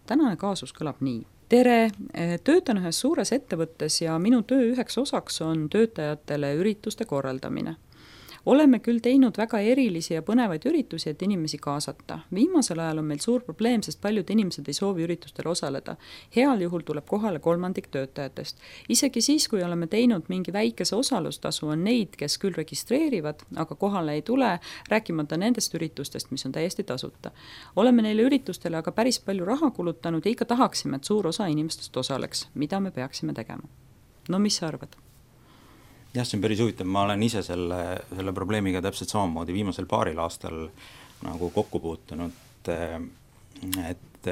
Tänane kaasus kõlab nii. Tere, töötan ühes suures ettevõttes ja minu töö üheks osaks on töötajatele ürituste korraldamine. Oleme küll teinud väga erilisi ja põnevaid üritusi, et inimesi kaasata. Viimasel ajal on meil suur probleem, sest paljud inimesed ei soovi üritustel osaleda. Heal juhul tuleb kohale kolmandik töötajatest. Isegi siis, kui oleme teinud mingi väikese osalustasu, on neid, kes küll registreerivad, aga kohale ei tule, rääkimata nendest üritustest, mis on täiesti tasuta. Oleme neile üritustele aga päris palju raha kulutanud ja ikka tahaksime, et suur osa inimestest osaleks. Mida me peaksime tegema? No mis sa arvad? Jah, see on päris huvitav, ma olen ise selle, selle probleemiga täpselt samamoodi viimasel paaril aastal nagu kokku puutunud, et,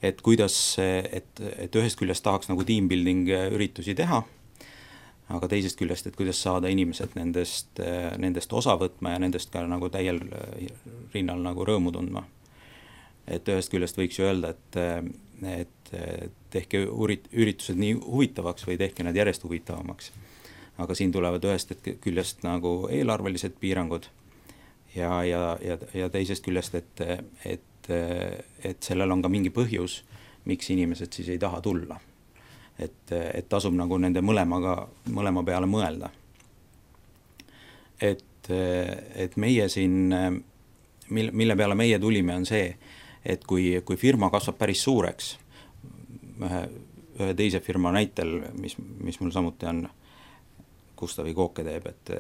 et kuidas, et, et ühest küljest tahaks nagu teambuilding üritusi teha, aga teisest küljest, et kuidas saada inimesed nendest, nendest osa võtma ja nendest ka nagu täiel rinnal nagu rõõmu tundma. Et ühest küljest võiks ju öelda, et, et tehke üritused nii huvitavaks või tehke need järjest huvitavamaks. Aga siin tulevad ühest küljest nagu eelarvelised piirangud ja, ja, ja, ja teisest küljest, et, et, et sellel on ka mingi põhjus, miks inimesed siis ei taha tulla. Et, et tasub nagu nende mõlemaga, mõlema peale mõelda. Et, et meie siin, mille peale meie tulime, on see, et kui, kui firma kasvab päris suureks, ühe, ühe teise firma näitel, mis, mis mul samuti on, Gustavi Kooke teeb, et,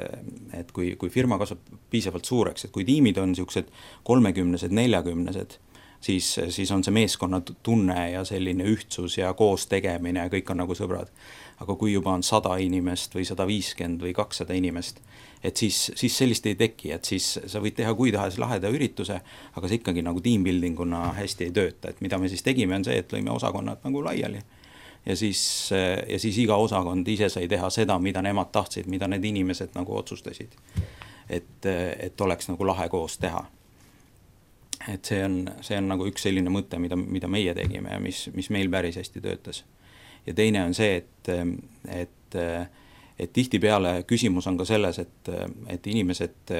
et kui, kui firma kasvab piisavalt suureks, et kui tiimid on niisugused kolmekümnesed, neljakümnesed, siis, siis on see meeskonna tunne ja selline ühtsus ja koos tegemine ja kõik on nagu sõbrad. Aga kui juba on sada inimest või sada viiskümmend või kakssada inimest, et siis, siis sellist ei teki, et siis sa võid teha kui tahes laheda ürituse, aga see ikkagi nagu teambuildinguna hästi ei tööta. Et mida me siis tegime on see, et lõime osakonnad nagu laiali. Ja siis, ja siis iga osakond ise sai teha seda, mida nemad tahtsid, mida need inimesed nagu otsustasid. Et, et oleks nagu lahe koos teha. Et see on, see on nagu üks selline mõte, mida, mida meie tegime ja mis, mis meil päris hästi töötas. Ja teine on see, et, et, et tihti peale küsimus on ka selles, et, et inimesed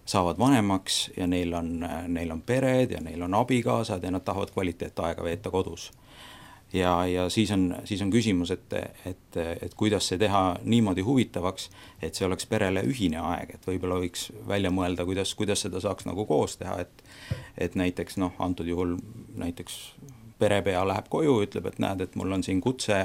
saavad vanemaks ja neil on, neil on pered ja neil on abikaasad ja nad tahavad kvaliteetaega veeta kodus. Ja, ja siis on, siis on küsimus, et, et, et kuidas see teha niimoodi huvitavaks, et see oleks perele ühine aeg, et võib-olla võiks välja mõelda, kuidas, kuidas seda saaks nagu koos teha, et, et näiteks noh, antud juhul näiteks perepea läheb koju, ütleb, et näed, et mul on siin kutse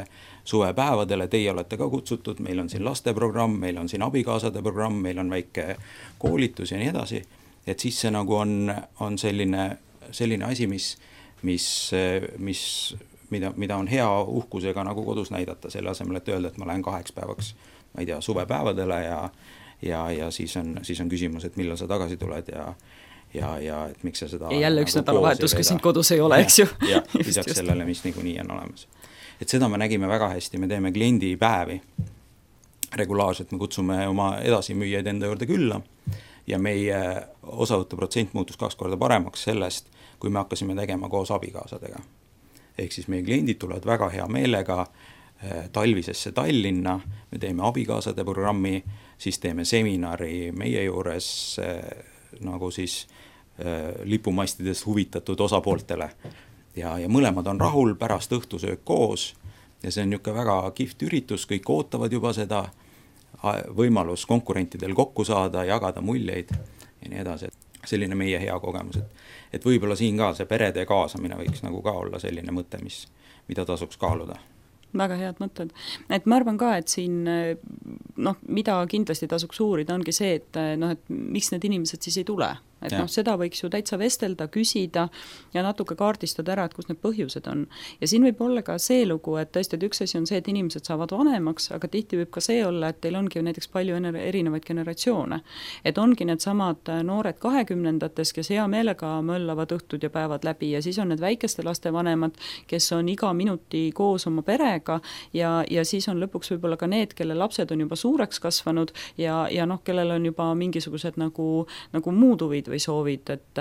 suvepäevadele, teie olete ka kutsutud, meil on siin lasteprogramm, meil on siin abikaasade programm, meil on väike koolitus ja nii edasi, et siis see nagu on, on selline, selline asi, mis, mis, mis Mida, mida on hea uhkusega nagu kodus näidata, selle asemel, et öelda, et ma lähen kaheks päevaks, ma ei tea, suvepäevadele ja, ja, ja siis, on, siis on küsimus, et millal sa tagasi tuled ja, ja, ja et miks sa seda... Ja jälle üks nagu nädalavahetus, kui sind kodus ei ole, eks ju. Ja, lisaks sellele, mis niikuinii on olemas. Et seda me nägime väga hästi, me teeme kliendipäevi regulaarselt, me kutsume oma edasimüüjaid enda juurde külla ja meie osavõtu protsent muutus kaks korda paremaks sellest, kui me hakkasime tegema koos abikaasadega. Ehk siis meie kliendid tulevad väga hea meelega, talvisesse Tallinna, me teeme abikaasade programmi, siis teeme seminari meie juures nagu siis lipumastidest huvitatud osapooltele. Ja, ja mõlemad on rahul, pärast õhtusöök koos ja see on niisugune väga kihvt üritus, kõik ootavad juba seda, võimalus konkurentidel kokku saada, jagada muljeid ja nii edasi. Selline meie hea kogemus, et, et võib-olla siin ka see perede kaasamine võiks nagu ka olla selline mõte, mis, mida tasuks kaaluda. Väga head mõtted. Et ma arvan ka, et siin, noh, mida kindlasti tasuks uurida, ongi see, et, noh, et miks need inimesed siis ei tule. Et ja. noh, seda võiks ju täitsa vestelda, küsida ja natuke kaardistada ära, et kus need põhjused on. Ja siin võib olla ka see lugu, et tõesti, et üks asi on see, et inimesed saavad vanemaks, aga tihti võib ka see olla, et teil ongi näiteks palju erinevaid generatsioone. Et ongi need samad noored kahekümnendates, kes hea meelega möllavad õhtud ja päevad läbi ja siis on need väikeste laste vanemad, kes on iga minuti koos oma perega ja, ja siis on lõpuks võib-olla ka need, kelle lapsed on juba suureks kasvanud ja, ja noh, kellel on juba mingisugused nagu, nagu muud huvid või soovid, et,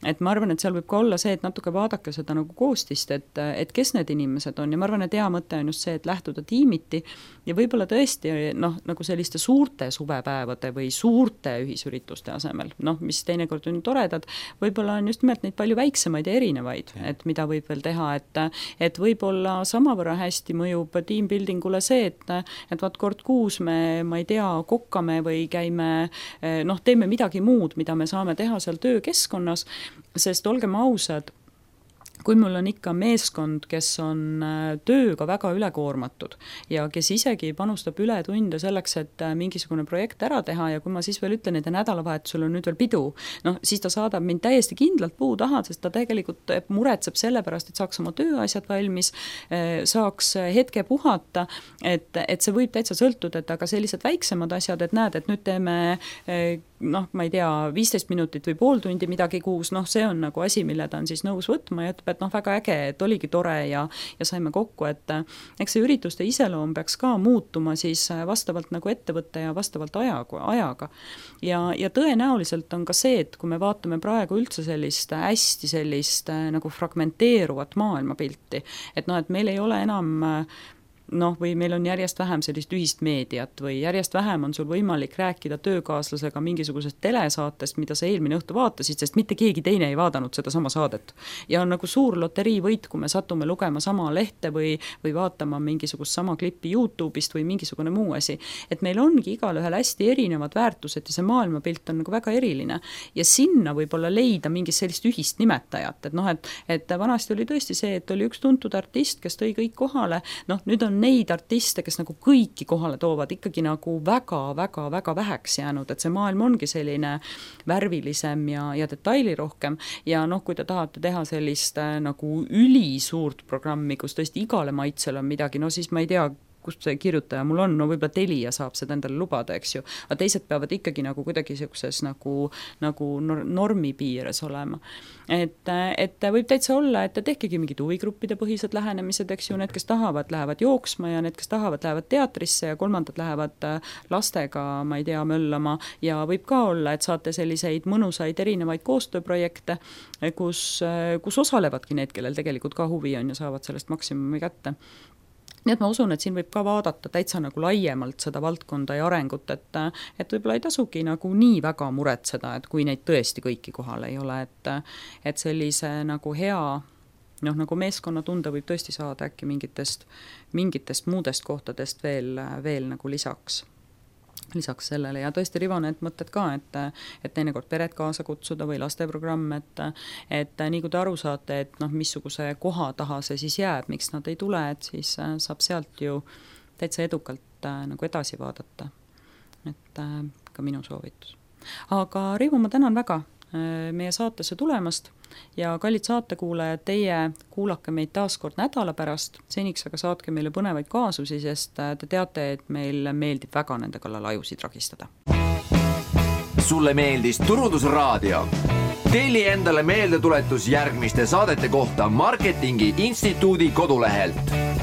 et ma arvan, et seal võib ka olla see, et natuke vaadake seda nagu koostist, et, et kes need inimesed on ja ma arvan, et hea mõte on just see, et lähtuda tiimiti ja võib-olla tõesti noh, nagu selliste suurte suvepäevade või suurte ühisürituste asemel, noh, mis teinekord on toredad, võib-olla on just nimelt neid palju väiksemaid ja erinevaid, et mida võib veel teha, et, et võib-olla samavõrra hästi mõjub teambuildingule see, et, et vaat kord kuus me, ma ei tea, kokkame või käime, noh, teeme midagi muud, mida me saame teha seal töökeskkonnas, sest olgem ausad, kui mul on ikka meeskond, kes on tööga väga ülekoormatud ja kes isegi panustab üle tunde selleks, et mingisugune projekt ära teha ja kui ma siis veel ütlen, et nädalavahetusel on nüüd veel pidu, noh, siis ta saadab mind täiesti kindlalt puu taha, sest ta tegelikult muretseb selle pärast, et saaks oma tööasjad valmis, saaks hetke puhata, et, et see võib täitsa sõltuda, et aga sellised väiksemad asjad, et näed, et nüüd teeme noh, ma ei tea, viisteist minutit või pool tundi midagi kuus, noh, see on nagu asi, mille ta on siis nõus võtma ja ütleb, et noh, väga äge, et oligi tore ja, ja saime kokku, et eks see ürituste iseloom peaks ka muutuma siis vastavalt nagu ettevõtte ja vastavalt ajaga, ajaga. Ja, ja tõenäoliselt on ka see, et kui me vaatame praegu üldse sellist hästi sellist nagu fragmenteeruvat maailmapilti, et noh, et meil ei ole enam noh, või meil on järjest vähem sellist ühist meediat või järjest vähem on sul võimalik rääkida töökaaslasega mingisugusest telesaatest, mida sa eelmine õhtu vaatasid, sest mitte keegi teine ei vaadanud seda sama saadet. Ja on nagu suur loterii võit, kui me satume lugema sama lehte või, või vaatama mingisugust sama klippi YouTube'ist või mingisugune muu asi. Et meil ongi igal ühel hästi erinevad väärtused ja see maailmapilt on nagu väga eriline. Ja sinna võib-olla leida mingist sellist ühist nimetajat. Et noh, et, et vanasti oli tõesti see, et oli üks tuntud artist, kes tõi kõik kohale. Noh, nüüd on neid artiste, kes nagu kõiki kohale toovad, ikkagi nagu väga-väga-väga väheks jäänud, et see maailm ongi selline värvilisem ja, ja detailirohkem ja noh, kui te tahate teha sellist nagu ülisuurt programmi, kus tõesti igale maitsel on midagi, no siis ma ei tea, kust see kirjutaja mul on, no võib-olla Telia saab seda endale lubada, eks ju, aga teised peavad ikkagi nagu kuidagi sellises nagu, nagu normi piires olema. Et, et võib täitsa olla, et tehkegi mingid huvigruppide põhised lähenemised, eks ju, need, kes tahavad, lähevad jooksma ja need, kes tahavad, lähevad teatrisse ja kolmandad lähevad lastega, ma ei tea, möllama ja võib ka olla, et saate selliseid mõnusaid erinevaid koostööprojekte, kus, kus osalevadki need, kellel tegelikult ka huvi on ja saavad sellest maksimumi kätte. Nii et ma usun, et siin võib ka vaadata täitsa nagu laiemalt seda valdkonda ja arengut, et, et võib-olla ei tasugi nagu nii väga muretseda, et kui neid tõesti kõiki kohal ei ole, et, et sellise nagu hea, noh nagu meeskonnatunde võib tõesti saada äkki mingitest, mingitest muudest kohtadest veel, veel nagu lisaks. lisaks sellele ja tõesti Rivo need mõtted ka, et, et teinekord peret kaasa kutsuda või lasteprogramm, et, et nii kui te aru saate, et noh, missuguse koha taha see siis jääb, miks nad ei tule, et siis saab sealt ju täitsa edukalt nagu edasi vaadata. Et ka minu soovitus. Aga Rivo, ma tänan väga meie saatesse tulemast ja kallid saatekuulajad, teie kuulake meid taas kord nädala pärast, seniks aga saatke meile põnevaid kaasusi, sest te teate, et meil meeldib väga nende kallal ajusid ragistada. Sulle meeldis Turundusraadio? Telli endale meeldetuletus järgmiste saadete kohta Marketingi Instituudi kodulehelt.